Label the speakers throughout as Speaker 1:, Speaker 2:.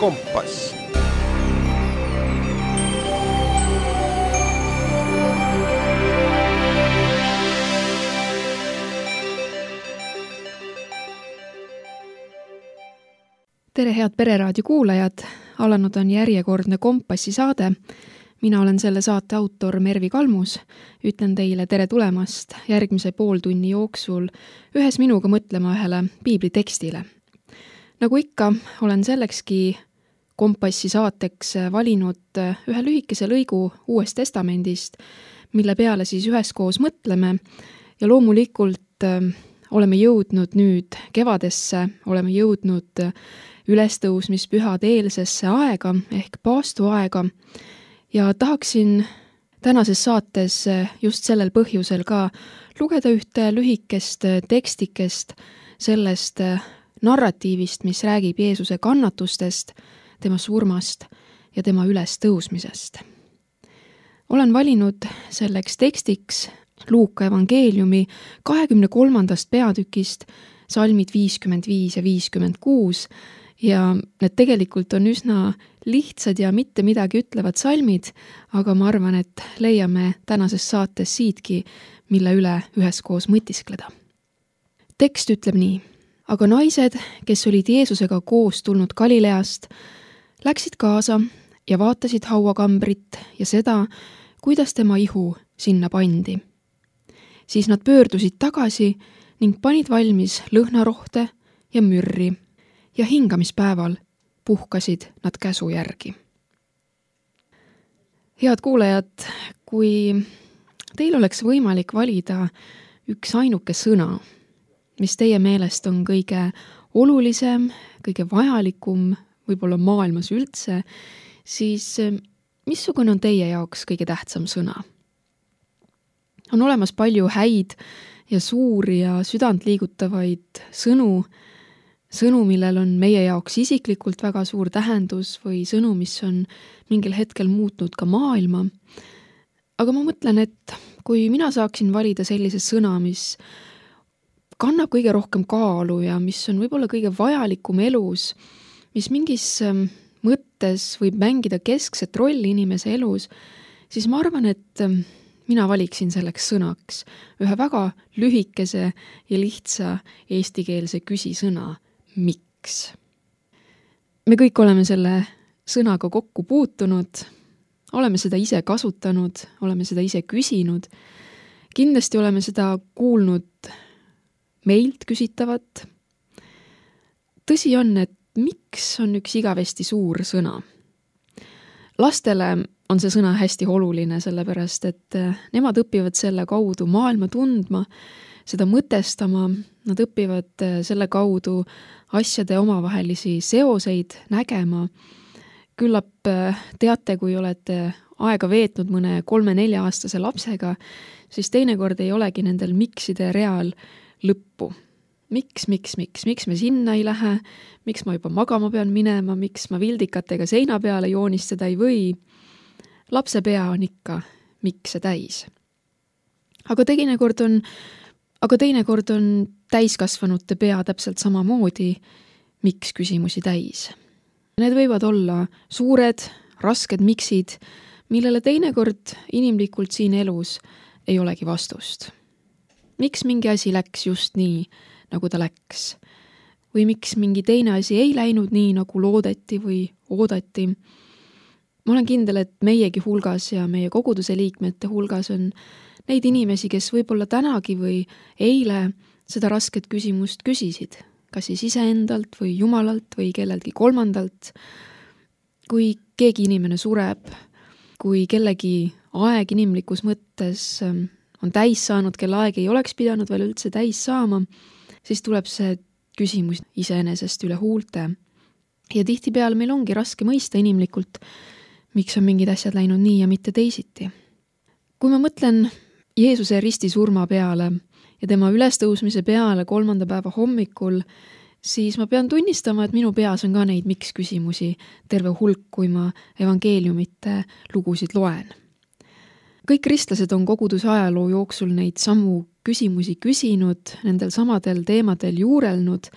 Speaker 1: Kompass.
Speaker 2: Tere, head Pereraadio kuulajad! Alanud on järjekordne Kompassi saade. Mina olen selle saate autor Mervi Kalmus. Ütlen teile tere tulemast järgmise pooltunni jooksul ühes minuga mõtlema ühele piiblitekstile. Nagu ikka, olen sellekski Kompassi saateks valinud ühe lühikese lõigu Uuest Testamendist, mille peale siis üheskoos mõtleme ja loomulikult oleme jõudnud nüüd kevadesse, oleme jõudnud ülestõusmispühade eelsesse aega ehk paastuaega ja tahaksin tänases saates just sellel põhjusel ka lugeda ühte lühikest tekstikest sellest narratiivist, mis räägib Jeesuse kannatustest, tema surmast ja tema ülestõusmisest. Olen valinud selleks tekstiks Luuka evangeeliumi 23. peatükist salmid 55 ja 56 ja need tegelikult on üsna lihtsad ja mitte midagi ütlevad salmid, aga ma arvan, et leiame tänases saates siitki, mille üle üheskoos mõtiskleda. Tekst ütleb nii: aga naised, kes olid Jeesusega koos tulnud Galileast, läksid kaasa ja vaatasid hauakambrit ja seda, kuidas tema ihu sinna pandi. Siis nad pöördusid tagasi ning panid valmis lõhnarohte ja mürri ja hingamispäeval puhkasid nad käsu järgi. Head kuulajad, kui teil oleks võimalik valida üks ainuke sõna, mis teie meelest on kõige olulisem, kõige vajalikum, võib-olla maailmas üldse, siis missugune on teie jaoks kõige tähtsam sõna? On olemas palju häid ja suuri ja südantliigutavaid sõnu, millel on meie jaoks isiklikult väga suur tähendus või sõnu, mis on mingil hetkel muutnud ka maailma. Aga ma mõtlen, et kui mina saaksin valida sellise sõna, mis kannab kõige rohkem kaalu ja mis on võib-olla kõige vajalikum elus, mis mingis mõttes võib mängida keskset rolli inimese elus, siis ma arvan, et mina valiksin selleks sõnaks ühe väga lühikese ja lihtsa eestikeelse küsisõna: miks? Me kõik oleme selle sõnaga kokku puutunud, oleme seda ise kasutanud, oleme seda ise küsinud. Kindlasti oleme seda kuulnud meilt küsitavat. Tõsi on, et miks on üks igavesti suur sõna. Lastele on see sõna hästi oluline, sellepärast et nemad õpivad selle kaudu maailma tundma, seda mõtestama, nad õpivad selle kaudu asjade omavahelisi seoseid nägema. Küllap teate, kui olete aega veetnud mõne 3-4-aastase lapsega, siis teinekord ei olegi nendel mikside real lõppu. Miks me sinna ei lähe, miks ma juba magama pean minema, miks ma vildikatega seina peale joonistada ei või. Lapse pea on ikka mikse täis. Aga teinekord on täiskasvanute pea täpselt samamoodi miks küsimusi täis. Need võivad olla suured, rasked miksid, millele teinekord inimlikult siin elus ei olegi vastust. Miks mingi asi läks just nii, nagu ta läks? Või miks mingi teine asi ei läinud nii, nagu loodeti või oodati? Ma olen kindel, et meiegi hulgas ja meie koguduse liikmete hulgas on neid inimesi, kes võib-olla tänagi või eile seda rasket küsimust küsisid, kas siis iseendalt või Jumalalt või kelleltki kolmandalt. Kui keegi inimene sureb, kui kellegi aeg inimlikus mõttes on täis saanud, kelle aeg ei oleks pidanud veel üldse täis saama, siis tuleb see küsimus iseenesest üle huulte. Ja tihtipeale meil ongi raske mõista inimlikult, miks on mingid asjad läinud nii ja mitte teisiti. Kui ma mõtlen Jeesuse ristisurma peale ja tema ülestõusmise peale 3. päeva hommikul, siis ma pean tunnistama, et minu peas on ka neid miks küsimusi terve hulk, kui ma evangeeliumite lugusid loen. Kõik kristlased on koguduse ajaloo jooksul neid samu küsimusi küsinud, nendel samadel teemadel juurelnud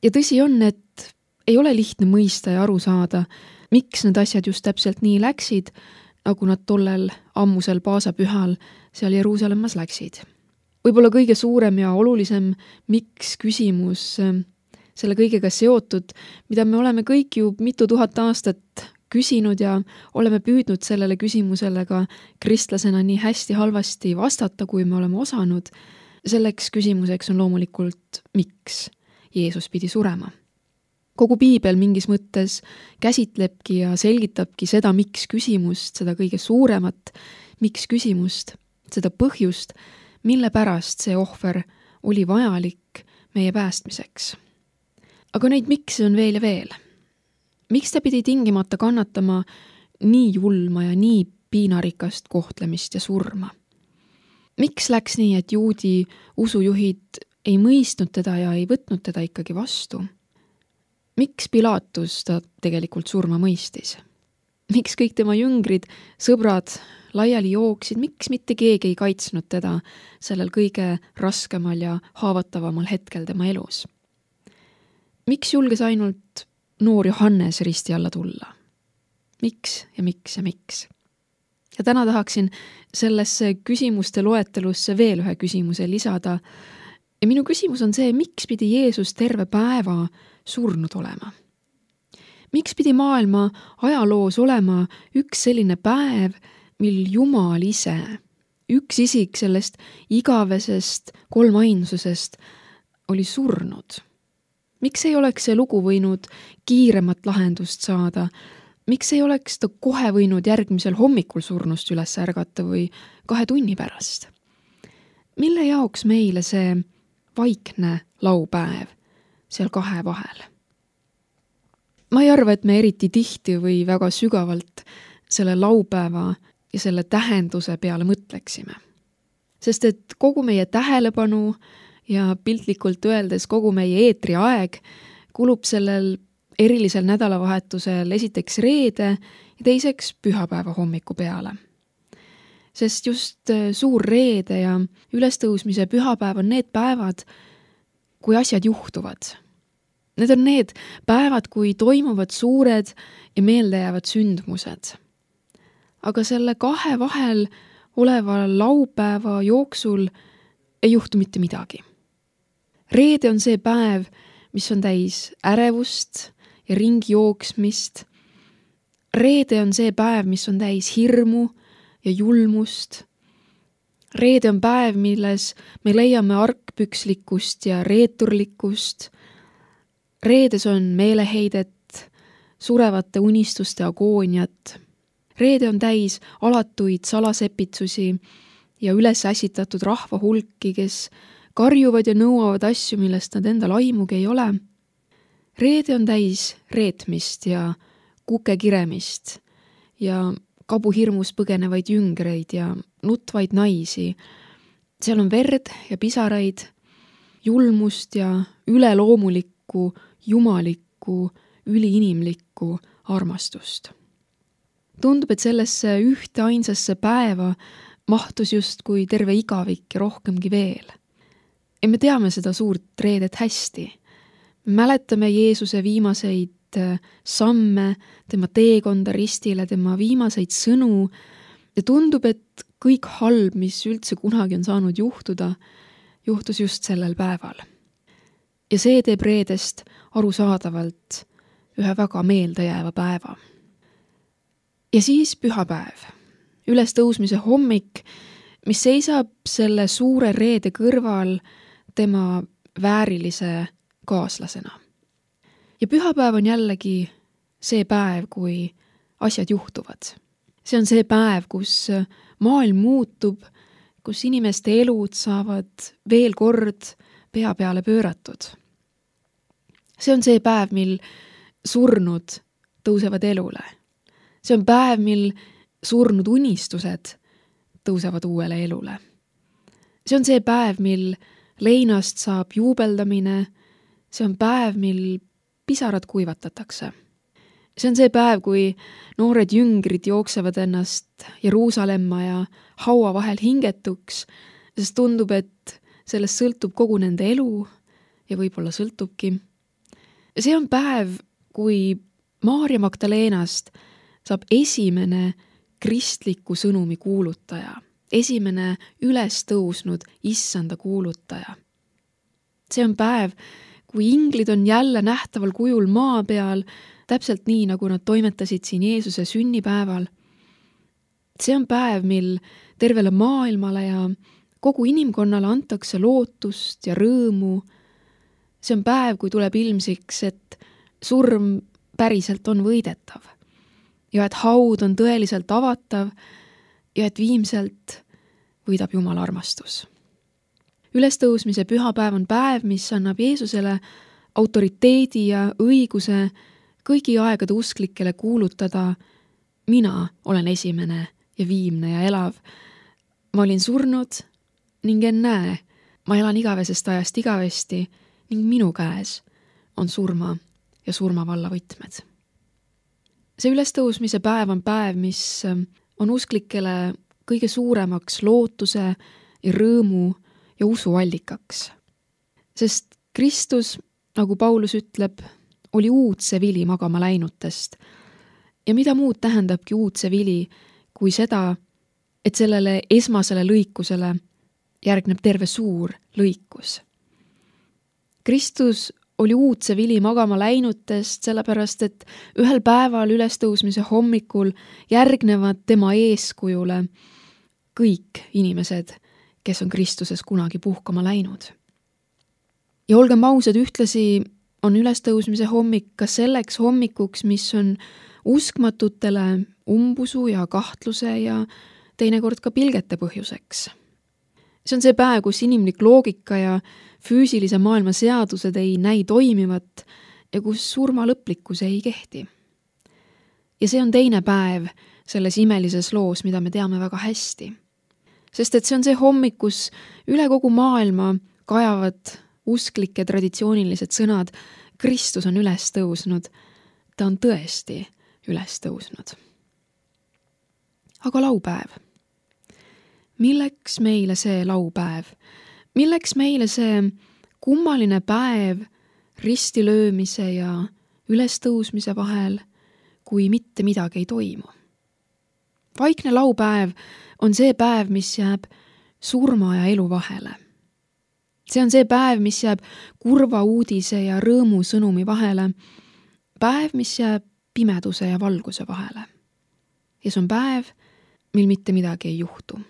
Speaker 2: ja tõsi on, et ei ole lihtne mõista ja aru saada, miks need asjad just täpselt nii läksid, nagu nad tollel ammusel paasapühal seal Jeruusalemmas läksid. Võib-olla kõige suurem ja olulisem miks küsimus selle kõigega seotud, mida me oleme kõik ju mitu tuhat aastat küsinud ja oleme püüdnud sellele küsimusele ka kristlasena nii hästi halvasti vastata, kui me oleme osanud. Selleks küsimuseks on loomulikult, miks Jeesus pidi surema. Kogu piibel mingis mõttes käsitlebki ja selgitabki seda miks küsimust, seda kõige suuremat miks küsimust, seda põhjust, mille pärast see ohver oli vajalik meie päästmiseks. Aga neid miks on veel ja veel. Miks ta pidi tingimata kannatama nii julma ja nii piinarikast kohtlemist ja surma? Miks läks nii, et juudi usujuhid ei mõistnud teda ja ei võtnud teda ikkagi vastu? Miks Pilatus ta tegelikult surma mõistis? Miks kõik tema jüngrid, sõbrad laiali jooksid, miks mitte keegi ei kaitsnud teda sellel kõige raskemal ja haavatavamal hetkel tema elus? Miks julges ainult noor Johannes risti alla tulla? Miks ja miks ja miks? Ja täna tahaksin sellesse küsimuste loetelusse veel ühe küsimuse lisada. Ja minu küsimus on see, miks pidi Jeesus terve päeva surnud olema? Miks pidi maailma ajaloos olema üks selline päev, mil Jumal ise, üks isik sellest igavesest kolmainsusest oli surnud? Miks ei oleks see lugu võinud kiiremat lahendust saada? Miks ei oleks ta kohe võinud järgmisel hommikul surnust üles ärgata või 2 tunni pärast? Mille jaoks meile see vaikne laupäev seal 2 vahel? Ma ei arva, et me eriti tihti või väga sügavalt selle laupäeva ja selle tähenduse peale mõtleksime. Sest et kogu meie tähelepanu ja piltlikult öeldes kogu meie eetriaeg kulub sellel erilisel nädalavahetusel esiteks reede ja teiseks pühapäeva hommiku peale. Sest just suur reede ja ülestõusmise pühapäev on need päevad, kui asjad juhtuvad. Need on need päevad, kui toimuvad suured ja meeldejäävad sündmused. Aga selle 2 vahel oleva laupäeva jooksul ei juhtu mitte midagi. Reede on see päev, mis on täis ärevust ja ringi jooksmist. Reede on see päev, mis on täis hirmu ja julmust. Reede on päev, milles me leiame argpükslikkust ja reeturlikkust. Reedes on meeleheidet, surevate unistuste agooniat. Reede on täis alatuid salasepitsusi ja üles ässitatud rahva hulki, kes karjuvad ja nõuavad asju, millest nad endal aimugi ei ole. Reede on täis reetmist ja kukekiremist ja kabuhirmus põgenevaid jüngreid ja nutvaid naisi. Seal on verd ja pisaraid, julmust ja üleloomulikku, jumalikku, üliinimlikku armastust. Tundub, et sellesse ühte ainsasse päeva mahtus justkui terve igavik ja rohkemgi veel. Ja me teame seda suurt reedet hästi. Mäletame Jeesuse viimaseid samme, tema teekonda ristile, tema viimaseid sõnu ja tundub, et kõik halb, mis üldse kunagi on saanud juhtuda, juhtus just sellel päeval. Ja see teeb reedest arusaadavalt ühe väga meeldejääva päeva. Ja siis pühapäev, ülestõusmise hommik, mis seisab selle suure reede kõrval tema väärilise kaaslasena. Ja pühapäev on jällegi see päev, kui asjad juhtuvad. See on see päev, kus maailm muutub, kus inimeste elud saavad veel kord pea peale pööratud. See on see päev, mil surnud tõusevad elule. See on päev, mil surnud unistused tõusevad uuele elule. See on see päev, mil leinast saab juubeldamine. See on päev, mil pisarad kuivatatakse. See on see päev, kui noored jüngrid jooksevad ennast Jeruusalemma ja haua vahel hingetuks, sest tundub, et sellest sõltub kogu nende elu ja võib-olla sõltubki. See on päev, kui Maarja Magdalenast saab esimene kristliku sõnumi kuulutaja, esimene üles tõusnud issanda kuulutaja. See on päev, kui inglid on jälle nähtaval kujul maa peal, täpselt nii, nagu nad toimetasid siin Jeesuse sünnipäeval. See on päev, mil tervele maailmale ja kogu inimkonnale antakse lootust ja rõõmu. See on päev, kui tuleb ilmsiks, et surm päriselt on võidetav ja et haud on tõeliselt avatav ja et viimselt võidab Jumala armastus. Ülestõusmise pühapäev on päev, mis annab Jeesusele autoriteedi ja õiguse kõigi aegade usklikele kuulutada: mina olen esimene ja viimne ja elav. Ma olin surnud ning ennäe, ma elan igavesest ajast igavesti ning minu käes on surma ja surmavalla võtmed. See ülestõusmise päev on päev, mis on usklikele kõige suuremaks lootuse ja rõõmu ja usuallikaks. Sest Kristus, nagu Paulus ütleb, oli uudse vili magama läinutest. Ja mida muud tähendabki uudse vili, kui seda, et sellele esmasele lõikusele järgneb terve suur lõikus. Kristus oli uudse vili magama läinutest, sellepärast et ühel päeval ülestõusmise hommikul järgnevad tema eeskujule kõik inimesed, kes on Kristuses kunagi puhkama läinud. Ja olgem ausad, ühtlasi on ülestõusmise hommik ka selleks hommikuks, mis on uskmatutele umbusu ja kahtluse ja teinekord ka pilgete põhjuseks. See on see päev, kus inimlik loogika ja füüsilise maailma seadused ei näi toimivat ja kus surma lõplikkus ei kehti. Ja see on teine päev selles imelises loos, mida me teame väga hästi. Sest et see on see hommik, kus üle kogu maailma kajavad usklike traditsioonilised sõnad: Kristus on üles tõusnud, ta on tõesti üles tõusnud. Aga laupäev. Milleks meile see laupäev? Milleks meile see kummaline päev ristilöömise ja ülestõusmise vahel, kui mitte midagi ei toimu? Vaikne laupäev on see päev, mis jääb surma ja elu vahele. See on see päev, mis jääb kurva uudise ja rõõmu sõnumi vahele. Päev, mis jääb pimeduse ja valguse vahele. Ja see on päev, mil mitte midagi ei juhtu.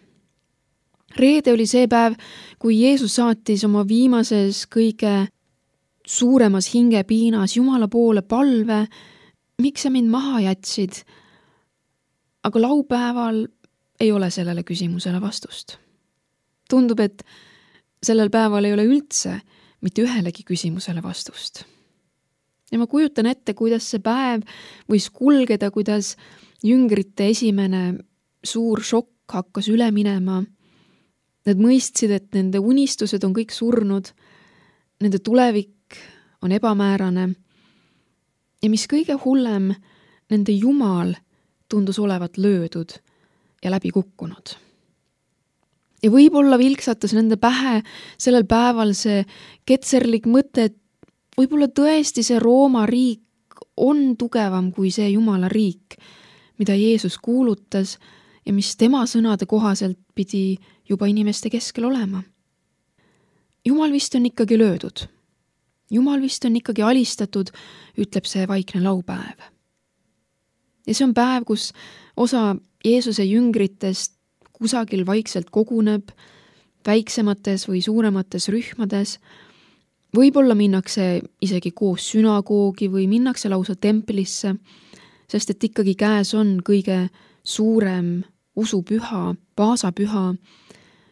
Speaker 2: Reede oli see päev, kui Jeesus saatis oma viimases kõige suuremas hingepiinas Jumala poole palve: miks sa mind maha jätsid? Aga laupäeval ei ole sellele küsimusele vastust. Tundub, et sellel päeval ei ole üldse mitte ühelegi küsimusele vastust. Ja ma kujutan ette, kuidas see päev võis kulgeda, kuidas jüngrite esimene suur šokk hakkas üle minema. Nad mõistsid, et nende unistused on kõik surnud, nende tulevik on ebamäärane ja mis kõige hullem, nende Jumal tundus olevat löödud ja läbi kukkunud. Ja võib-olla vilksatas nende pähe sellel päeval see ketserlik mõte, et võib-olla tõesti see Rooma riik on tugevam kui see Jumala riik, mida Jeesus kuulutas ja mis tema sõnade kohaselt pidi juba inimeste keskel olema. Jumal vist on ikkagi löödud. Jumal vist on ikkagi alistatud, ütleb see vaikne laupäev. Ja see on päev, kus osa Jeesuse jüngritest kusagil vaikselt koguneb, väiksemates või suuremates rühmades. Võib-olla minnakse isegi koos sünagoogi või minnakse lausa templisse, sest et ikkagi käes on kõige suurem usupüha, paasapüha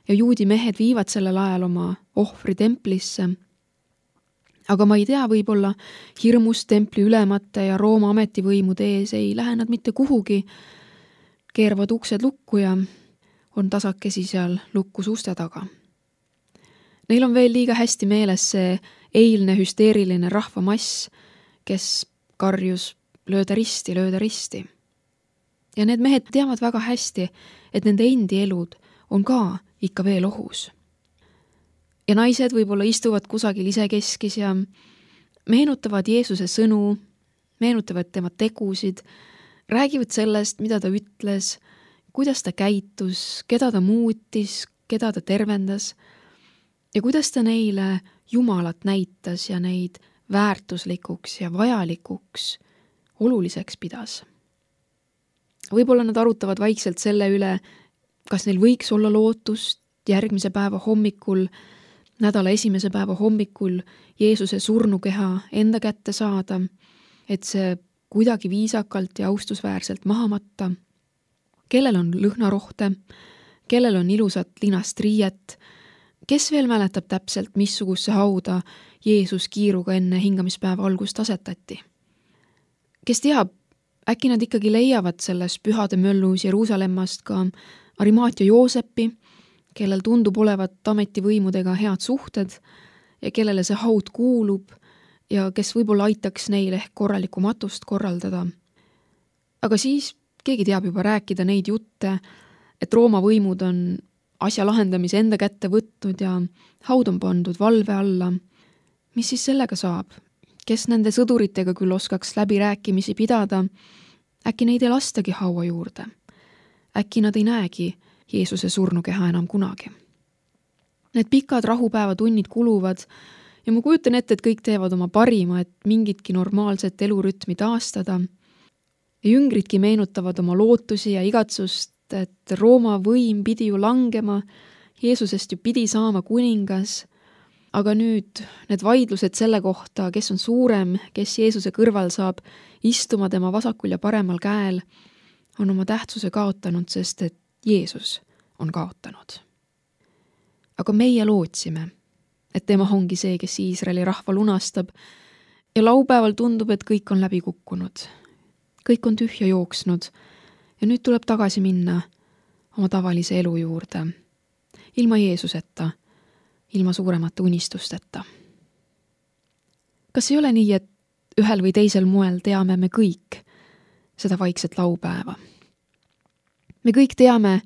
Speaker 2: ja juudi mehed viivad sellel ajal oma ohvri templisse. Aga ma ei tea, võib-olla hirmus templi ülemate ja Rooma ametivõimude ees ei lähe nad mitte kuhugi, keeravad uksed lukku ja on tasakesi seal lukkus uste taga. Neil on veel liiga hästi meeles see eilne hüsteeriline rahvamass, kes karjus lööda risti. Ja need mehed teavad väga hästi, et nende endi elud on ka ikka veel ohus. Ja naised võib-olla istuvad kusagil isekeskis ja meenutavad Jeesuse sõnu, meenutavad tema tegusid, räägivad sellest, mida ta ütles, kuidas ta käitus, keda ta muutis, keda ta tervendas ja kuidas ta neile Jumalat näitas ja neid väärtuslikuks ja vajalikuks, oluliseks pidas. Võib-olla nad arutavad vaikselt selle üle, kas neil võiks olla lootust järgmise päeva hommikul, nädala esimese päeva hommikul Jeesuse surnukeha enda kätte saada, et see kuidagi viisakalt ja austusväärselt maha matta. Kellel on lõhnarohte, kellel on ilusat linast riiet, kes veel mäletab täpselt, missuguse hauda Jeesus kiiruga enne hingamispäeva algust asetati. Kes teab, äkki nad ikkagi leiavad selles pühade möllus Jeruusalemmast ka Arimaatia Joosepi, kellel tundub olevat ametivõimudega head suhted ja kellele see haud kuulub ja kes võib-olla aitaks neil ehk korralikku matust korraldada. Aga siis keegi teab juba rääkida neid jutte, et Rooma võimud on asja lahendamise enda kätte võtnud ja haud on pandud valve alla. Mis siis sellega saab? Kes nende sõduritega küll oskaks läbirääkimisi pidada, äkki neid ei lastagi haua juurde. Äkki nad ei näegi Jeesuse surnukeha enam kunagi. Need pikad rahupäevatunnid kuluvad ja ma kujutan ette, et kõik teevad oma parima, et mingitki normaalset elurütmi taastada. Ja jüngridki meenutavad oma lootusi ja igatsust, et Rooma võim pidi ju langema, Jeesusest ju pidi saama kuningas, aga nüüd need vaidlused selle kohta, kes on suurem, kes Jeesuse kõrval saab istuma tema vasakul ja paremal käel, on oma tähtsuse kaotanud, sest et Jeesus on kaotanud. Aga meie lootsime, et tema ongi see, kes Iisraeli rahva lunastab ja laupäeval tundub, et kõik on läbi kukkunud. Kõik on tühja jooksnud ja nüüd tuleb tagasi minna oma tavalise elu juurde, ilma Jeesuseta, ilma suuremate unistusteta. Kas ei ole nii, et ühel või teisel moel teame me kõik seda vaikset laupäeva? Me kõik teame,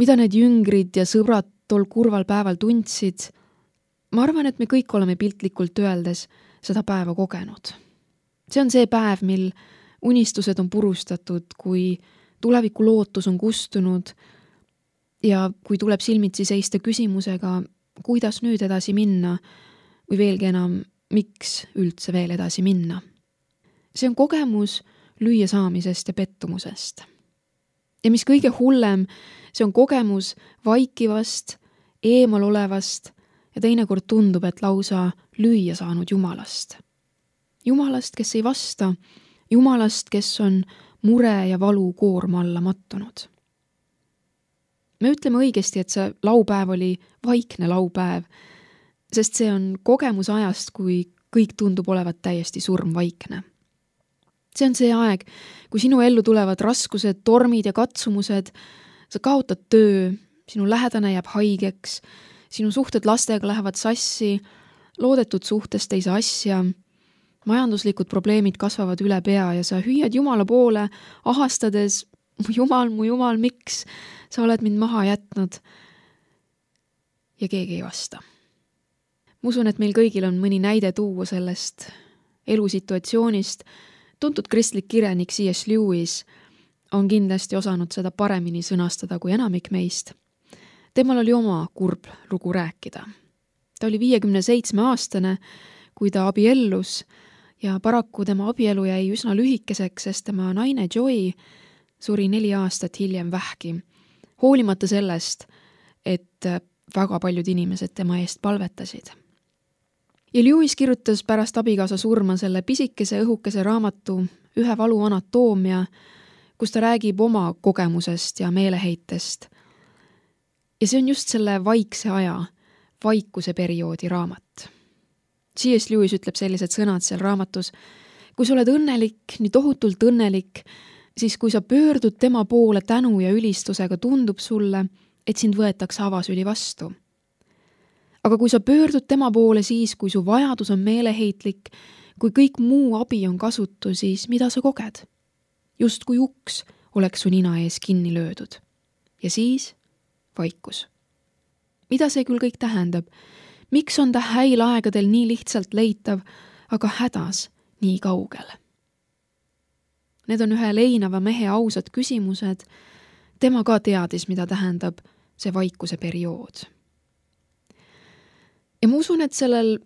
Speaker 2: mida need jüngrid ja sõbrad tol kurval päeval tundsid. Ma arvan, et me kõik oleme piltlikult öeldes seda päeva kogenud. See on see päev, mil unistused on purustatud, kui tuleviku lootus on kustunud ja kui tuleb silmitsi seista küsimusega, kuidas nüüd edasi minna või veelgi enam, miks üldse veel edasi minna. See on kogemus lüüa saamisest ja pettumusest. Ja mis kõige hullem, see on kogemus vaikivast, eemal olevast ja teinekord tundub, et lausa lüüa saanud Jumalast. Jumalast, kes ei vasta, Jumalast, kes on mure ja valu koorma alla mattunud. Me ütleme õigesti, et see laupäev oli vaikne laupäev, sest see on kogemus ajast, kui kõik tundub olevat täiesti surmvaikne. See on see aeg, kui sinu ellu tulevad raskused, tormid ja katsumused, sa kaotad töö, sinu lähedane jääb haigeks, sinu suhted lastega lähevad sassi, loodetud suhtest ei saa asja, majanduslikud probleemid kasvavad üle pea ja sa hüüad Jumala poole, ahastades, mu Jumal, miks sa oled mind maha jätnud? Ja keegi ei vasta. Ma usun, et meil kõigil on mõni näide tuua sellest elusituatsioonist. Tuntud kristlik kirjanik C.S. Lewis on kindlasti osanud seda paremini sõnastada kui enamik meist. Temal oli oma kurb lugu rääkida. Ta oli 57-aastane, kui ta abiellus ja paraku tema abielu jäi üsna lühikeseks, sest tema naine Joy suri 4 aastat hiljem vähki, hoolimata sellest, et väga paljud inimesed tema eest palvetasid. Ja Lewis kirjutas pärast abikaasa surma selle pisikese õhukese raamatu Ühe valu anatoomia, kus ta räägib oma kogemusest ja meeleheitest. Ja see on just selle vaikse aja, vaikuse perioodi raamat. C.S. Lewis ütleb sellised sõnad seal raamatus: kui sa oled õnnelik, nii tohutult õnnelik, siis kui sa pöördud tema poole tänu ja ülistusega, tundub sulle, et sind võetakse avasüli vastu. Aga kui sa pöördud tema poole siis, kui su vajadus on meeleheitlik, kui kõik muu abi on kasutu, siis mida sa koged? Just kui uks oleks su nina ees kinni löödud. Ja siis vaikus. Mida see küll kõik tähendab? Miks on ta häil aegadel nii lihtsalt leitav, aga hädas nii kaugel? Need on ühe leinava mehe ausad küsimused. Tema ka teadis, mida tähendab see vaikuse periood. Ja ma usun, et sellel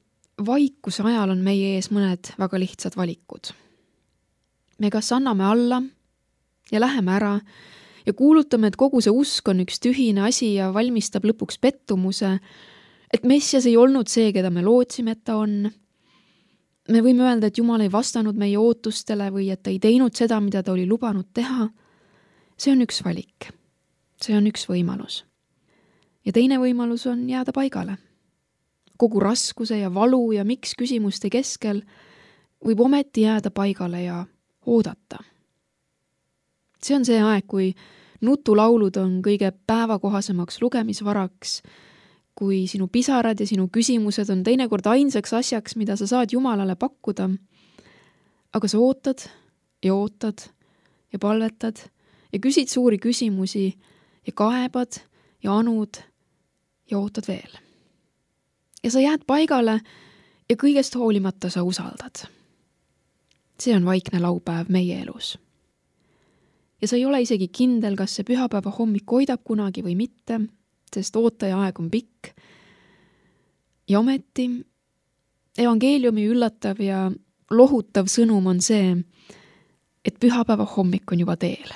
Speaker 2: vaikuse ajal on meie ees mõned väga lihtsad valikud. Me kas anname alla ja läheme ära ja kuulutame, et kogu see usk on üks tühine asi ja valmistab lõpuks pettumuse, et Messias ei olnud see, keda me lootsime, et ta on. Me võime öelda, et Jumal ei vastanud meie ootustele või et ta ei teinud seda, mida ta oli lubanud teha. See on üks valik. See on üks võimalus. Ja teine võimalus on jääda paigale. Kogu raskuse ja valu ja miks küsimuste keskel võib ometi jääda paigale ja oodata. See on see aeg, kui nutulaulud on kõige päevakohasemaks lugemisvaraks, kui sinu pisarad ja sinu küsimused on teinekord ainsaks asjaks, mida sa saad Jumalale pakkuda. Aga sa ootad ja palvetad ja küsid suuri küsimusi ja kaebad ja anud ja ootad veel. Ja sa jääd paigale ja kõigest hoolimata sa usaldad. See on vaikne laupäev meie elus. Ja sa ei ole isegi kindel, kas see pühapäeva hommik hoidab kunagi või mitte, sest ootaja aeg on pikk. Ja ometi evangeeliumi üllatav ja lohutav sõnum on see, et pühapäeva hommik on juba teel.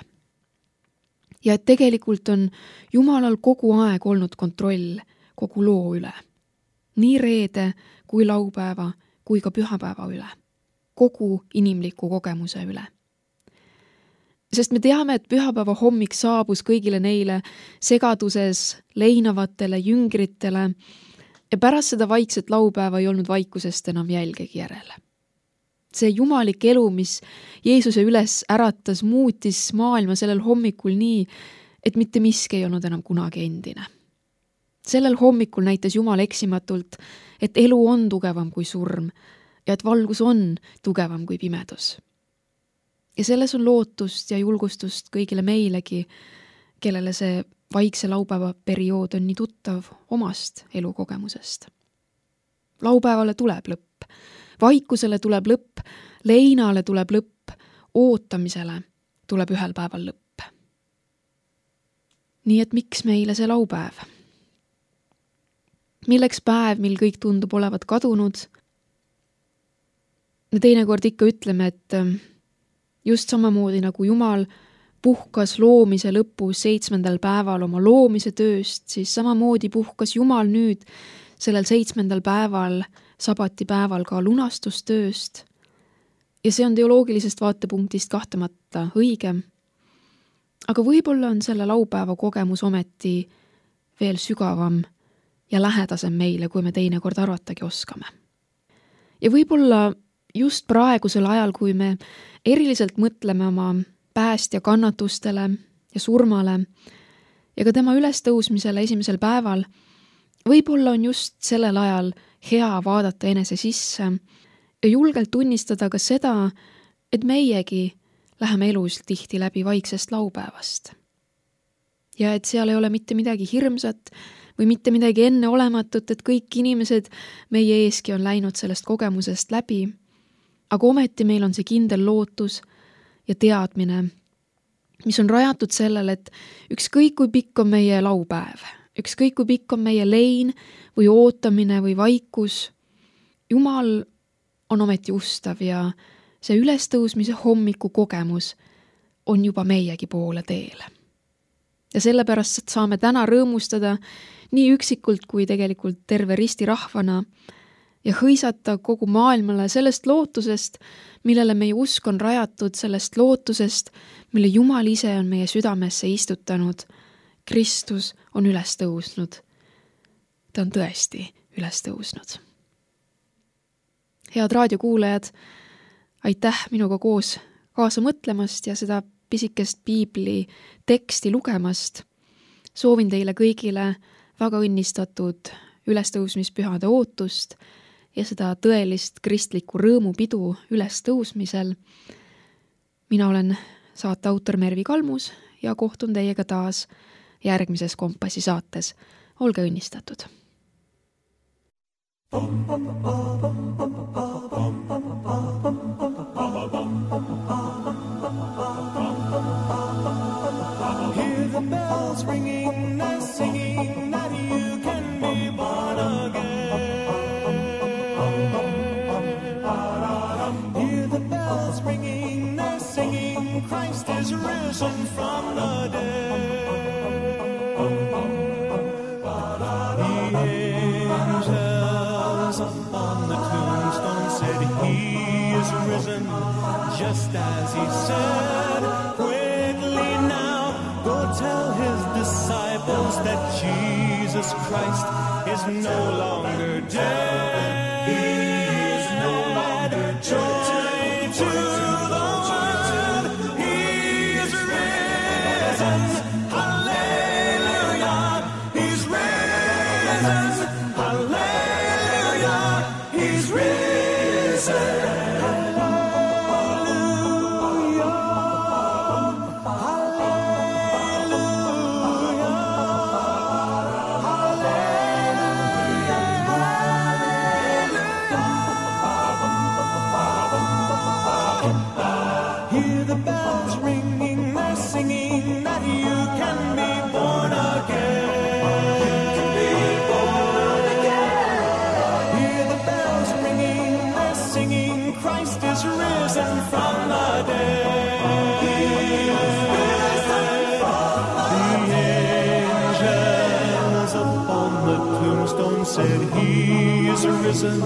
Speaker 2: Ja et tegelikult on Jumalal kogu aeg olnud kontroll kogu loo üle. Nii reede kui laupäeva kui ka pühapäeva üle. Kogu inimliku kogemuse üle. Sest me teame, et pühapäeva hommik saabus kõigile neile segaduses leinavatele jüngritele ja pärast seda vaikset laupäeva ei olnud vaikusest enam jälgegi järele. See jumalik elu, mis Jeesuse üles äratas, muutis maailma sellel hommikul nii, et mitte miski ei olnud enam kunagi endine. Sellel hommikul näitas Jumal eksimatult, et elu on tugevam kui surm ja et valgus on tugevam kui pimedus. Ja selles on lootust ja julgustust kõigile meilegi, kellele see vaikse laupäeva periood on nii tuttav omast elukogemusest. Laupäevale tuleb lõpp, vaikusele tuleb lõpp, leinale tuleb lõpp, ootamisele tuleb ühel päeval lõpp. Nii et miks meile see laupäev? Milleks päev, mil kõik tundub olevat kadunud? Me teinekord ikka ütleme, et just samamoodi nagu Jumal puhkas loomise lõpus 7. päeval oma loomise tööst, siis samamoodi puhkas Jumal nüüd sellel 7. päeval, sabatipäeval ka lunastustööst. Ja see on teoloogilisest vaatepunktist kahtlemata õige. Aga võib-olla on selle laupäeva kogemus ometi veel sügavam ja lähedasem meile, kui me teinekord arvatagi oskame. Ja võib-olla just praegusel ajal, kui me eriliselt mõtleme oma päästja kannatustele ja surmale ja ka tema ülestõusmisele esimesel päeval, võib-olla on just sellel ajal hea vaadata enese sisse ja julgelt tunnistada ka seda, et meiegi läheme elus tihti läbi vaiksest laupäevast. Ja et seal ei ole mitte midagi hirmsat või mitte midagi enneolematut, et kõik inimesed meie eeski on läinud sellest kogemusest läbi, aga ometi meil on see kindel lootus ja teadmine, mis on rajatud sellele, et ükskõik kui pikk on meie laupäev, ükskõik kui pikk on meie lein või ootamine või vaikus, Jumal on ometi ustav ja see ülestõusmise hommiku kogemus on juba meiegi poole teel. Ja sellepärast saame täna rõõmustada nii üksikult kui tegelikult terve risti rahvana ja hõisata kogu maailmale sellest lootusest, millele meie usk on rajatud, sellest lootusest, mille Jumal ise on meie südamesse istutanud. Kristus on üles tõusnud. Ta on tõesti üles tõusnud. Head raadiokuulajad, aitäh minuga koos kaasa mõtlemast ja seda pisikest piibli teksti lugemast. Soovin teile kõigile väga õnnistatud ülestõusmispühade ootust ja seda tõelist kristlikku rõõmupidu ülestõusmisel. Mina olen saate autor Mervi Kalmus ja kohtun teiega taas järgmises Kompassi saates. Olge õnnistatud!
Speaker 1: just as he said. Quickly now, go tell his disciples that Jesus Christ is no longer dead. He is no longer dead. Joy to the world, he is risen. Hallelujah, he's risen. Hallelujah, he's risen. Hear the bells ringing, they're singing that you can be born again. You can be born again. Hear the bells ringing, they're singing, Christ is risen from the dead. He is risen from the dead. The angels upon the tombstone said he is risen,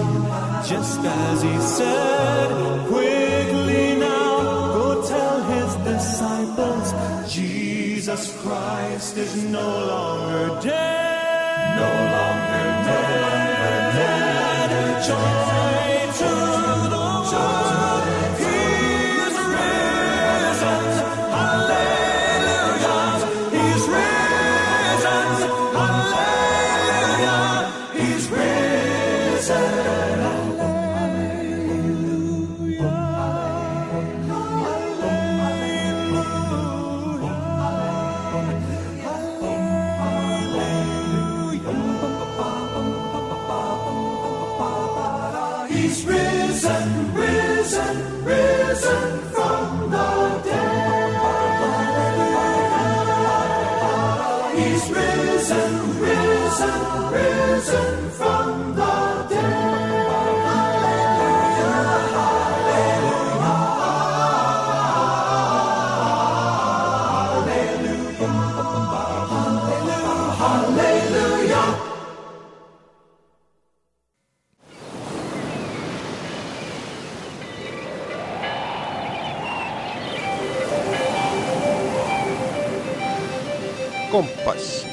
Speaker 1: just as he said. Quickly now, tell his disciples, Jesus Christ is no longer dead. No longer dead. Joy to the world, he is risen. Hallelujah, he's risen. Hallelujah, he's risen. He's risen, risen, risen from the dead. He's risen, risen, risen from the dead. Hallelujah, hallelujah, hallelujah, hallelujah.
Speaker 3: Kompass.